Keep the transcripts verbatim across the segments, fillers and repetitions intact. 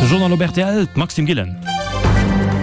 De Journal op rtl, d'Maxime Gillen.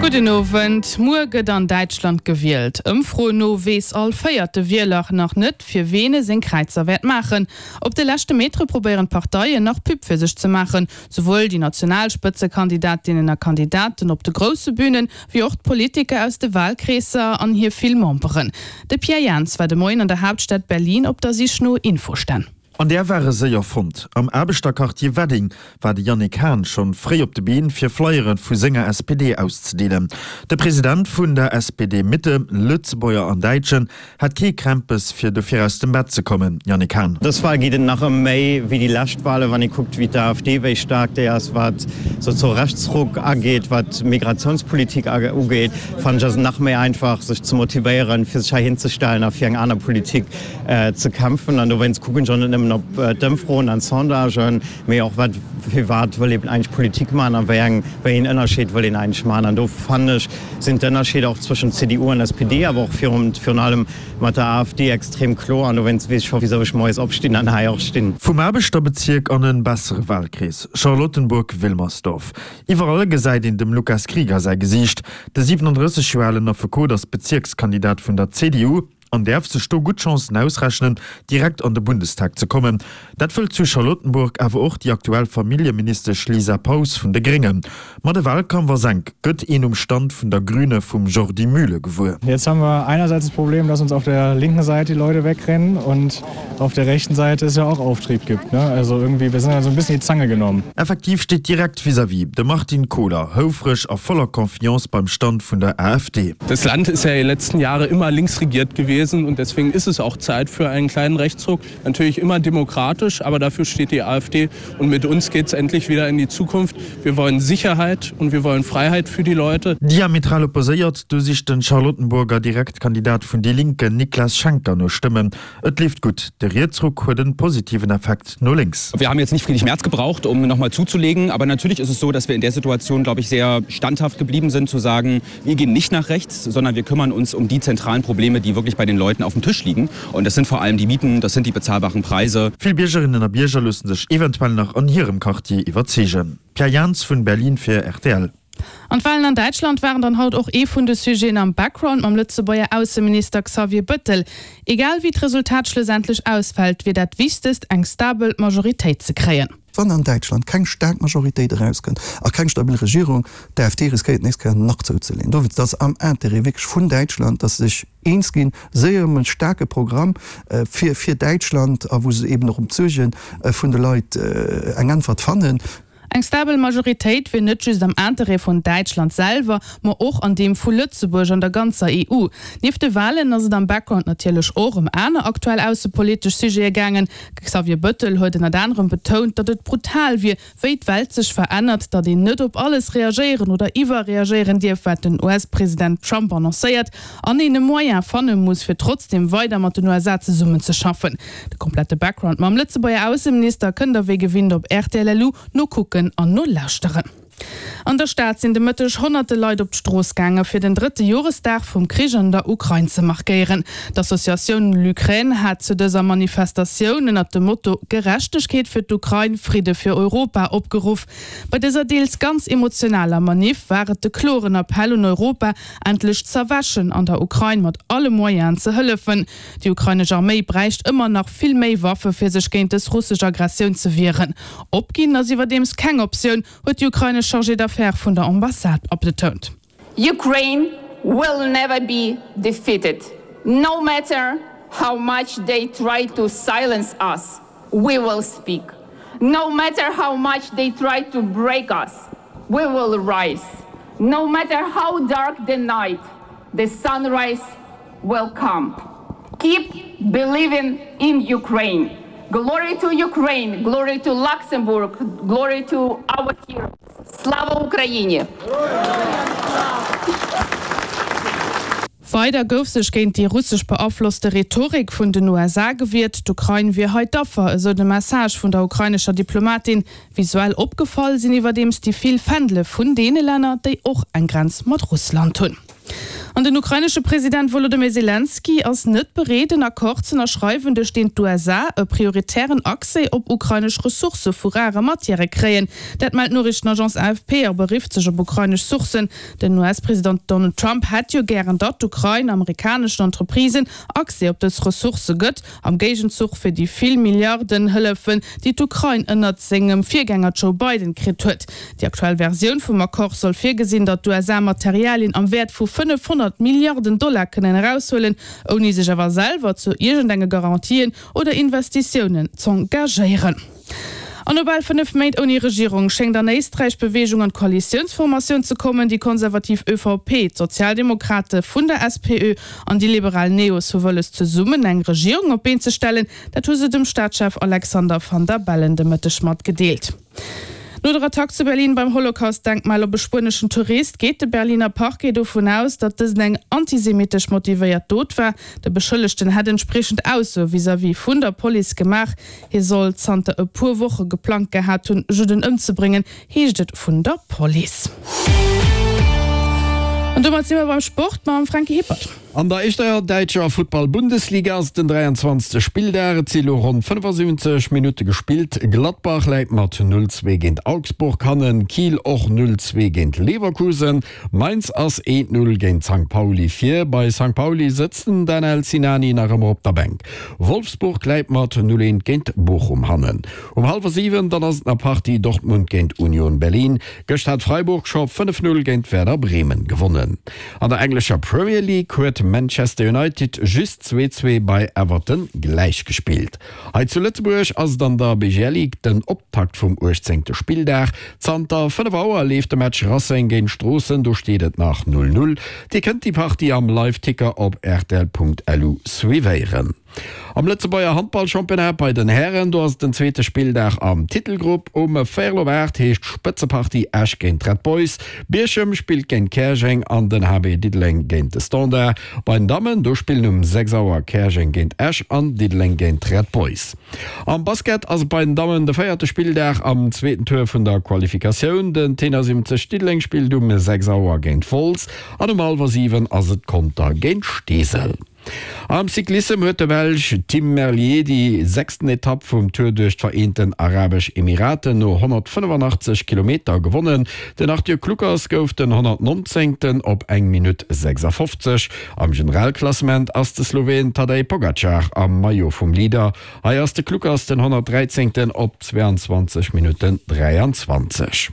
Gudden Owend. Muer gëtt an Däitschland gewielt. Ëmfroen no weess all véierte Wieler nach net, fir ween e seng Kräizer wäert maachen. Op de leschte Metere probéieren d'Parteien nach Pub fir sech ze maachen. Souwuel déi national Spëtzekandidatinnen a Kandidaten op de grousse Bünen, wéi och d'Politiker aus de Walkreesser an hir vill Memberen. De Pierre Jans war de Moien an der Haaptstad Berlin op der Sich no Infostänn. An där ware séier fonnt. Am Aarbechterquartier Wedding war de Yannick Hahn schonn fréi op de Been, fir Flyere vu senger S P D auszedeelen. De President vun der S P D Mitte, Lëtzebuerger an Däitschen, hat kee Krämpes fir dofir aus dem Bett ze kommen. Yannick Hahn. Dës Wahl geet et nach ëm méi wéi déi lescht Wahlen, wann ee kuckt wéi d'AfD, wéi staark déi ass, wat sou Rechtsruck ageet, wat Migratiounspolitik ugeet, fannen ech ass et nach méi einfach sech ze motivéieren, fir sech hei hinzestellen a fir eng aner Politik ze kämpfen. An dowéinst kucken ech och net nëmmen op d'Ëmfroen an d'Sondagen, mee och wat, firwat wëll een eigentlech Politik maachen a wéi eng, wéi een Ënnerscheed wëll een eigentlech maachen. An do fannen ech, sinn d'Ënnerscheeder och zwëschent C D U an S P D, awer och virun, virun allem mat der AfD extrem kloer. An dowéinst weess ech scho wisou ech moies opstinn an hei och stinn. Vum Aarbechterbezierk an en bessere Wahlkrees, Charlottenburg-Wilmersdorf. Iwwerall gesäit een dem Lukas Krieger säi Gesiicht. De siewenunddrësseg Joer alen Affekot ass Bezierkskandidat vun der C D U an däerf sech do gutt Chancen ausrechnen, direkt an de Bundestag ze kommen. Dat wëllt zu Charlottenburg awer och déi aktuell Familljeministesch Lisa Paus vun de Gréngen. Ma de Wahlkampf ass enk, gëtt een um Stand vun der Grüne vum Jordi Mühle gewuer. Jetzt haben wir einerseits das Problem, dass uns auf der linken Seite die Leute wegrennen und auf der rechten Seite es ja auch Auftrieb gibt, ne? Also irgendwie, wir sind ja so ein bisschen in die Zange genommen. Effektiv steet direkt vis-à-vis de Martin Kohler, houfreg a voller Confiance beim Stand vun der AfD. Das Land ist ja die letzten Jahre immer links regiert gewesen und deswegen ist es auch Zeit für einen kleinen Rechtsruck. Natürlich immer demokratisch, aber dafür steht die AfD und mit uns geht's endlich wieder in die Zukunft. Wir wollen Sicherheit und wir wollen Freiheit für die Leute. Diametral opposéiert, do sicht den Charlottenburger Direktkandidat vun Die Linke Niklas Schenker no Stëmmen. Et leeft gutt. De Rietsruck huet en positiven Effekt no lénks. Wir haben jetzt nicht Friedrich Merz gebraucht, um nochmal zuzulegen, aber natürlich ist es so, dass wir in der Situation, glaube ich, sehr standhaft geblieben sind, zu sagen, wir gehen nicht nach rechts, sondern wir kümmern uns um die zentralen Probleme, die wirklich bei den Leuten auf dem Tisch liegen. Und das sind vor allem die Mieten, das sind die bezahlbaren Preise. Vill Biergerinnen a Bierger loosse sech eventuell nach an hirem Quartier iwwerzeegen. Pierre Jans vun Berlin fir R T L. An d'Wahlen an Däitschland waren dann haut och ee vun de Sujeten am Background mam Lëtzebuerger Ausseminister Xavier Bettel. Egal wéi d'Resultat schlussendlech ausfält, wier dat Wichtegst eng stabel Majoritéit ze kréien. Wann an Däitschland keng staark Majoritéit erauskënnt a keng stabil Regierung, d'AfD riskéiert nächst Kéier nach zouzeleen. Dofir, dat ass am Intérêt wierklech vun Däitschland, dass se sech eens ginn, séier ëm en staarke Programm fir, fir Däitschland a wou se eben och ëm d'Suerge vun de Leit eng Äntwert fannen. Eng stabel Majoritéit wier net just am Intérêt vun Däitschland selwer, ma och an deem vu Lëtzebuerg an der ganzer E U. Nieft de Wahlen ass et am Background natierlech och ëm aner aktuell aussepolitesch Sujete gaangen. Xavier Bettel huet ënnert anerem betount, datt et brutal wier, wéi d'Welt sech verännert, datt een net op alles reagéieren oder iwwerreagéieren dierf, wat den U S-President Trump annoncéiert, an een e Moyen fanne muss, fir trotzdem weider mat den U S A zesummenzeschaffen. De komplette Background mam Lëtzebuerger Ausseminister kënnt der wéi gewinnt op R T L L U nokucken an no lauschteren. An der Stad sinn de Mëtteg honnerte Leit op d'Strooss gaange fir den drëtte Joresdag vum Krich an der Ukrain ze markéieren. D'Associatioun L'Ukraine hat zu dëser Manifestatioun ënnert dem Motto Gerechtegkeet fir d'Ukrain, Friede fir Europa opgeruff. Bei dëser deels ganz emotionaler Manif war et de kloren Appell un Europa, endlech z'erwächen an der Ukrain mat alle Moyenen ze hëllefen. Déi ukrainesch Arméi bräicht ëmmer nach vill méi Waffe fir sech géint dës russesch Aggressioun ze wieren. Opginn ass iwwerdeems keng Optioun, huet déi ukrainesch Chargé d'affaires vun der Ambassade abgetount. Ukraine will never be defeated. No matter how much they try to silence us, we will speak. No matter how much they try to break us, we will rise. No matter how dark the night, the sunrise will come. Keep believing in Ukraine. Glory to Ukraine, glory to Luxembourg, glory to our heroes. Slava Ukraini! Weider gouf sech géint déi russesch beaflosste Rhetorik vun den U S A gewiert. D'Ukrain wier hei d'Affer, esou de Message vun der ukrainescher Diplomatin. Visuell opgefall sinn iwwerdeems déi vill Fändele vun deene Länner, déi och eng Grenz mat Russland hunn. An den ukrainesche President Wolodymyr Selenskyj ass net bereet, en Accord z'ënnerschreiwen, duerch deen d'USA e prioritären Accès op ukrainesch Ressourcë vu rare Matièrë kréien. Dat mellt d'Noriichtenagence AFP a berifft sech op ukrainesch Sourcen. Den US-President Donald Trump hätt jo gären, datt d'Ukrain amerikaneschen Entreprisen Accès op dës Ressourcë gëtt, am Géigenzuch fir déi vill Milliarden Hëllefen, déi d'Ukrain ënnert sengem Virgänger Joe Biden kritt huet. Déi aktuell Versioun vum Accord soll virgesinn, datt d'USA Materialien am Wäert vu fënnefhonnert Milliarden Dollar kënnen eraushuelen, ouni sech awer selwer zu iergendenge Garantien oder Investitiounen z'engagéieren. An no bal fënnef Méint ouni Regierung schéngt an Éisträich Beweegung an d'Koalitiounsformatioun ze kommen. Déi konservativ ÖVP, d'Sozialdemokrate vun der SPÖ an déi liberal Neos hu wëlles zesummen eng Regierung op d'Been ze stellen. Dat hu se dem Staatschef Alexander Van der Bellen de Mëtteg matgedeelt. No der Attack zu Berlin beim Holocaust-Denkmal op e spueneschen Tourist geet de Berliner Parquet dovun aus, datt dësen eng antisemitesch motivéiert Dot war. De Beschëllegten hätt entspriechend Aussoe vis-à-vis vun der Police gemaach. Hie soll zanter e puer Woche geplangt gehat hunn, Judden ëmzebréngen, heescht et vun der Police. An domat si mer beim Sport mam Franky Hippert. An der éischter däitscher Futtball-Bundesliga ass et den dräianzwanzegste Spilldag. Et si lo ronn fënnefasiwwenzeg Minutte gespillt. Gladbach läit mat null zwee géint Augsburg hannen, Kiel och null zwee géint Leverkusen. Mainz ass eent null géint Sankt Pauli vir. Bei Sankt Pauli sëtzt den Danel Sinani nach ëmmer op der Bänk. Wolfsburg läit mat null eent géint Bochum hannen. Um hallwer siwen dann ass et nach Partie Dortmund géint Union Berlin. Gëscht hat Freiburg scho fënnef null géint Werder Bremen gewonnen. An der englescher Premier League huet Manchester United just zwee zwee bei Everton gläichgespillt. Hei zu Lëtzebuerg ass et an der B G L Ligue den Optakt vum uechtzéngte Spilldag. Zanter fënnef Auer leeft de Match Racing géint Stroossen, do steet et nach null null. Dir kënnt déi Partie am Live-Ticker op rtl.lu suivéieren. Am Lëtzebuerger Handballchampionnat bei den Hären, do ass et den zweete Spilldag am Titelgrupp. Um véierel op aacht heescht d'Spëtzepartie Esch géint d'Red Boys. Bierchem spillt géint Käerjeng an den H B Diddeleng géint de Standard. Bei den Dammen, do spillen um sechs Auer Käerjeng géint Esch an Diddeleng géint d'Red Boys. Am Basket ass et bei den Dammen de véierte Spilldag am zweeten Tour vun der Qualifikatioun. Den Tenor siwwenzeg Diddeleng spillt um sechs Auer géint Wolz an um hallwer siwen ass et Conter géint Steesel. Am Cyclissem huet de Belsch Tim Merlier déi sechsten Etapp vum Tour duerch d'Vereenten Arabesch Emiraten no honnertfënnefanachtzeg Kilometer gewonnen. Den Arthur Kluckers gouf den honnertnonzéngten op eng Minutt sechsafofzeg. Am Generalklassement ass de Sloween Tadej Pogacar am Maillot vum Leader. Hei ass de Kluckers den honnertdräizéngten op zweeanzwanzeg Minutten dräianzwanzeg.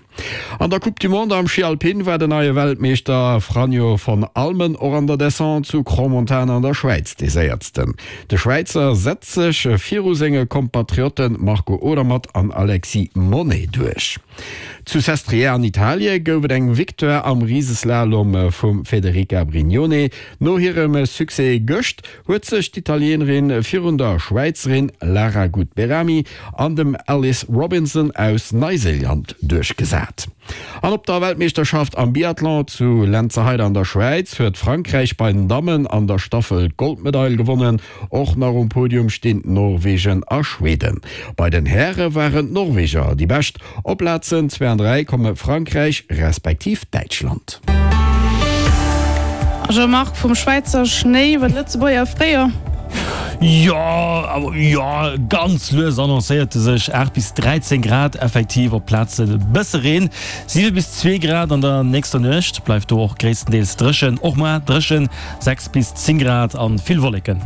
An der Coupe du Monde am Schi Alpin war den neie Weltmeeschter Franjo von Allmen och an der Descente zu Crans-Montana an der Schwäiz dee Séiersten. De Schwäizer setzt sech viru senge Kompatriotte Marco Odermatt an Alexis Monney duerch. Zu Sestriere an Italie gouf et eng Victoire am Riseslalom vum Federica Brignone. No hirem Succès gëscht huet sech d'Italieenerin virun der Schwäizerin Lara Gut-Behrami an dem Alice Robinson aus Neiséiland duerchgesat. An op der Weltmeeschterschaft am Biathlon zu Lenzerheide an der Schwäiz huet Frankräich bei den Dammen an der Staffel d'Goldmedail gewonnen. Och nach um Podium stinn Norwegen a Schweden. Bei den Häre waren d'Norweger déi Bescht. Op Plazen zwee an dräi komme Frankräich respektiv Däitschland. A Jean-Marc, vum Schwäizer Schnéi iwwer d'Lëtzebuerger Fréijoer. Jo, awer jo, ganz lues annoncéiert e sech, aacht bis dräizéng Grad, effektiv op Plazen e bësse Reen, siwe bis zwee Grad an der nächster Nuecht, bleift do och gréisstendeels dréchen, och muer dréchen, sechs bis zéng Grad an vill Wolleken.